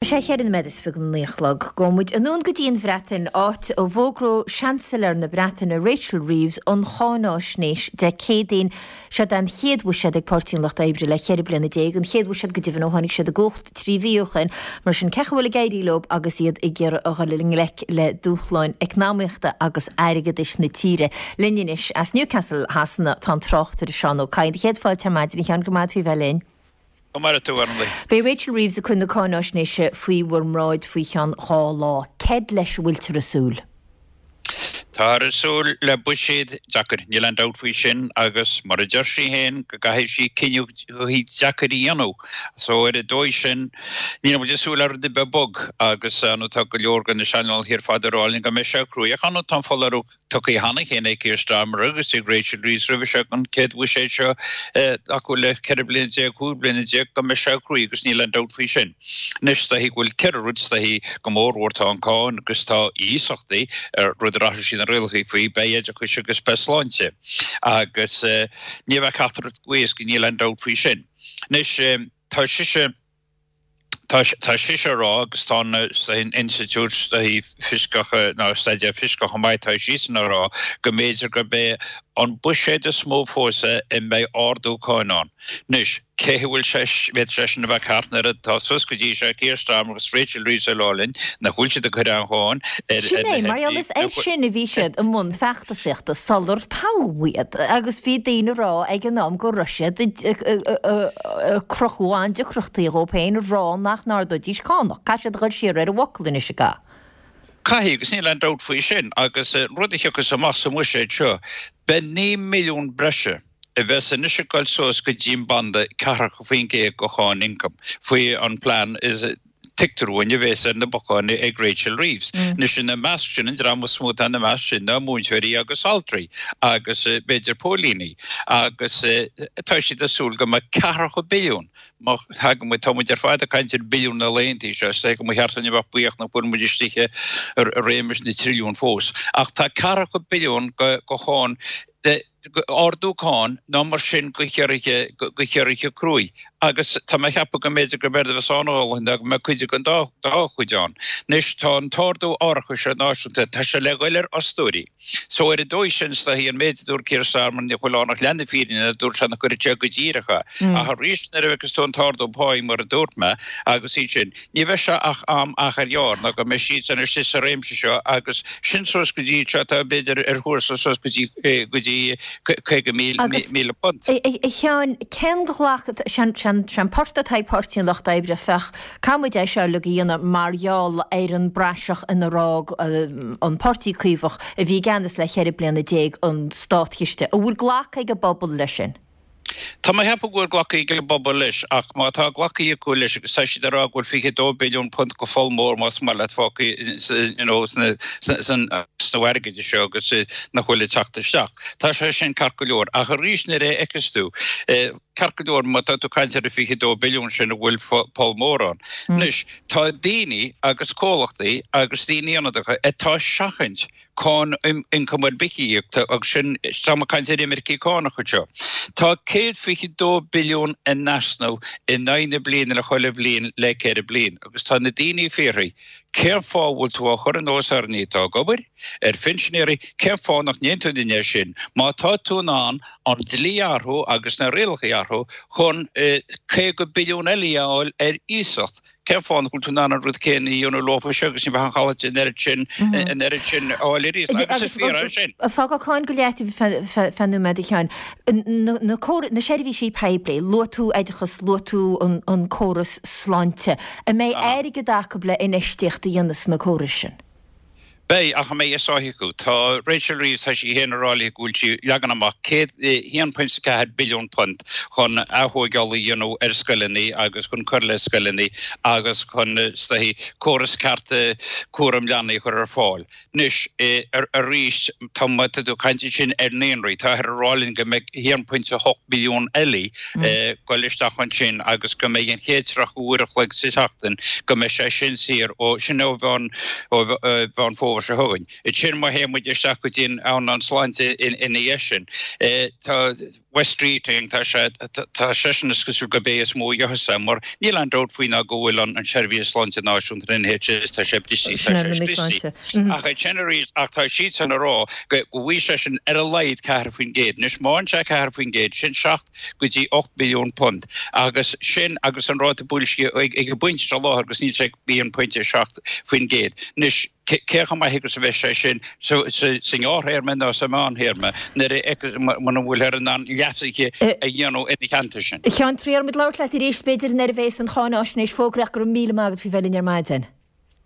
Sé cheithre nóiméad is fiche go naoi a chlog. Gabhfaidh muid anonn go dtí an Bhreatain, áit a bhfógróidh Seansailéir na Breataine Rachel Reeves an cháináisnéis Dé Céadaoin. Seod é an chéad bhuiséad ag Páirtí an Lucht Oibre le 14 bliana, an chéad bhuiséad go deimhin ó tháinig siad i gcumhacht 3 mhí ó shin. Mar sin, cén chaoi a bhfuil ag éirí leo agus iad ag iarraidh a dhul i ngleic le dúshláin eacnamaíochta agus airgeadais na tíre? Linn anois as Newcastle Shasana tá an tráchtaire Seán Ó Cadhain. Céad fáilte ar maidin, a Sheáin, go raibh maith agat faoi bheith linn. Go maire tú, Orlaith. Beidh Rachel Reeves ag cur na cáináisnéise faoi bhur mbráid faoi cheann 2 lá. Céard leis a bhfuiltear ag súil? Táthar ag súil le buiséad deacair, níl aon dabht faoi sin, agus mar a deir sí féin, go gcaithfidh sí cinneadh deacair a dhéanamh. So ar an dóigh sin, níl muid ag súil le rud ar bith bog, agus ar ndóigh tá go leor de na saineolaithe ar fad ag rá linn go mbeidh sé cruaidh. Ach ar ndóigh tá an foláireamh tugtha cheana féin ag Keir Starmer agus ag Rachel Reeves roimhe seo an chéad bhuiséad seo acu le 14 bliana, 15 bliana go mbeidh sé cruaidh agus níl aon dabht faoi sin. Anois is dóichí go bhfuil ceithre rud is dóichí go mórmhór tá an cáin agus tá iasachtaí, rud ar athraigh siad na rialacha faoi, beidh oideachais agus beidh sláinte agus ní bheidh ceachtar rud go héasca, níl aon dabht faoi sin. Anois tá sise. Tá sise ag rá, agus tá an Institiúid Fioscach nó Staidéar Fioscach chomh maith, tá siadsan ag rá go mb'fhéidir gurb é an buiséad is mó fós é a mbeidh ardú cáin ann. Anois, cé a bhfuil sé, bhféadfadh sé sin a bheith ceart nuair atá suas go dtí seo Keir Starmer agus Rachel Reeves ag rá linn nach bhfuil siad ag cur aon cháin ar Sin é, mar gheall is air sin a bhí siad i mbun feachtasaíochta sular toghadh iad agus bhí daoine ag rá ag an am go raibh siad ag cruthú an-deacrachtaí dhóibh féin ag rá nach n-ardóidís cánach. Caithfidh siad a dhul siar ar a bhfocal anois, an gcaithfidh? Caithfidh, agus níl aon dabht faoi sin. Agus an rud a thiocfas amach sa mbuiséad seo, beidh 9 mbilliún breise a bheas anois ag dul suas go dtí an banda 40% de cháin ioncaim faoi an plean is tuigtear dúinn a bhéas ar na bacáin ag Rachel Reeves. Anois ina measc sin, an dream is mó atá ina measc sin ná múinteoirí agus altraí agus b'fhéidir póilíní agus tá siad ag súil go mbeidh ceathracha billiún, má thagann muid, tá muid ar fad ag caint ar billiún na laethanta seo, is dóigh go mba cheart dúinn a bheith buíoch nach bhfuil muid istigh i réimeas na trilliún fós, ach tá ceathracha billiún de cháin ardú cáin ná mar sin go chiorruithe go chiorruithe cruaidh agus tá mé a cheapadh go mb'fhéidir gurb éard a bheas ann a dhóthain ná go mbeidh cuid den dá dá chuid ann. Anois tá an t-ardú árachais náisiúnta, tá sé le ghoil ar fhostóirí. So ar an dóigh sin is dóichí an méid a dúirt Keir Starmer ní bhfuil ann ach leath na fírinne nuair a dúirt sé nach gcuirfeadh sé go díreach é. Ach arís nuair a fheiceas tú an t-ardú páí mar a dúirt mé agus iad sin, Ní bheidh sé ach am achar ghearr ná go mbeidh siadsan istigh sa réimse seo agus sin suas go dtí seo atá b'fhéidir ar thuarastal suas go dtí go dtí £50,000. Agus, a Sheáin, cén ghlacadh, sé an port atá ag Páirtí an Lucht Oibre, féach, caithfidh muid é seo uilig a dhéanamh mar gheall ar an bpraiseach inar fhág an Páirtí Caomhach a bhí i gceannas le 14 bliana an státchiste. An bhfuil glactha ag an bpobal leis sin? Tá mé a cheapadh go bhfuil glactha ag an bpobal leis, ach má tá glactha acu leis, agus tá siad ag rá go bhfuil 22 billiún punt go pholl mór más maith leat fágtha you know sna san easnamh airgid seo agus nach bhfuil ag teacht isteach. Tá sé sin ceart go leor, ach arís nuair a fheiceas tú, ceart go leor má tá tú ag caint ar an 22 billiún sin a bhfuil poll mór ann. Anois, tá daoine agus comhlachtaí agus daoine ionadacha atá ag seachaint cáin ioncaim ar bith a íoc, agus sin, táim ag caint ar imircigh cánach anseo. Tá 122 billiún in easnamh in aghaidh na bliana le chuile bhliain le ceithre bliain, agus tá na daoine ag fiafraí, cén fáth a bhfuil tú á chur anuas ar dhaoine atá ag obair, ar phinsinéirí, cén fáth nach ndéanann tú é sin, má tá tú in ann an dlí a athrú agus na rialacha a athrú chun 50 billiún eile a fháil ar iasacht, Cén fáth nach bhfuil tú in ann an rud céanna a dhéanamh leofa seo agus ní bheadh an chaillte an oiread sin, an oiread sin a fháil arís agus is fíor é sin. Fágfaidh cáin go leataobh feadh nóiméad a Sheáin. Na córais, na seirbhísí poiblí, luaigh tú oideachas, luaigh tú an córas sláinte. An mbeidh airgead acu le infheistíocht a dhéanamh sna córais sin? Beidh, ach an mbeidh a sáith acu? Tá Rachel Reeves, tá sí féin ag rá go bhfuil sí ag leagan amach £1.4 billiún chun aththóigeáil a dhéanamh ar scoileanna agus chun cur le scoileanna agus chun, is dóichí, córas ceart cúram leanaí a chur ar fáil. Anois, arís, tá, má tá tú ag caint ansin ar naíonraí, táthar ag rá linn go mbeidh 1.8 billiún eile ag dul isteach ansin agus go mbeidh an chéad 30 uair a chloig sa tseachtain, go mbeidh sé sin saor ó, sin ó Mheán Mheán Fómhair seo chugainn. Ansin má théann muid isteach go dtí an earnáil sláinte ina dhiaidh sin, tá. Wes Streeting, tá sé, tá seisean is cosúil gurb é is mó a gheobhas é, mar níl aon dabht faoi ná go bhfuil an tSeirbhís Sláinte Náisiúnta, an NHS, tá sé briste, tá sé scriosta. Ach ansin arís, ach tá siadsan ag rá go bhfaighidh seisean ar a laghad 4%. Anois, má fhaigheann sé 4%, sin 7 go dtí 8 billiún punt. Agus sin agus an ráta boilscithe ag an bpointe seo láthair agus níl sé ag 1.7%. Anois, cé chomh maith agus a bheidh sé sin sa ngearrthéarma nó sa mheánthéarma nuair a muna bhfuilthear in ann leasuithe a dhéanamh ina theannta sin. A Sheáin, triailfidh muid labhairt leat arís, b'fhéidir, nuair a bheas an cháináisnéis fógraithe ach go raibh míle maith agat faoi bheith linn ar maidin.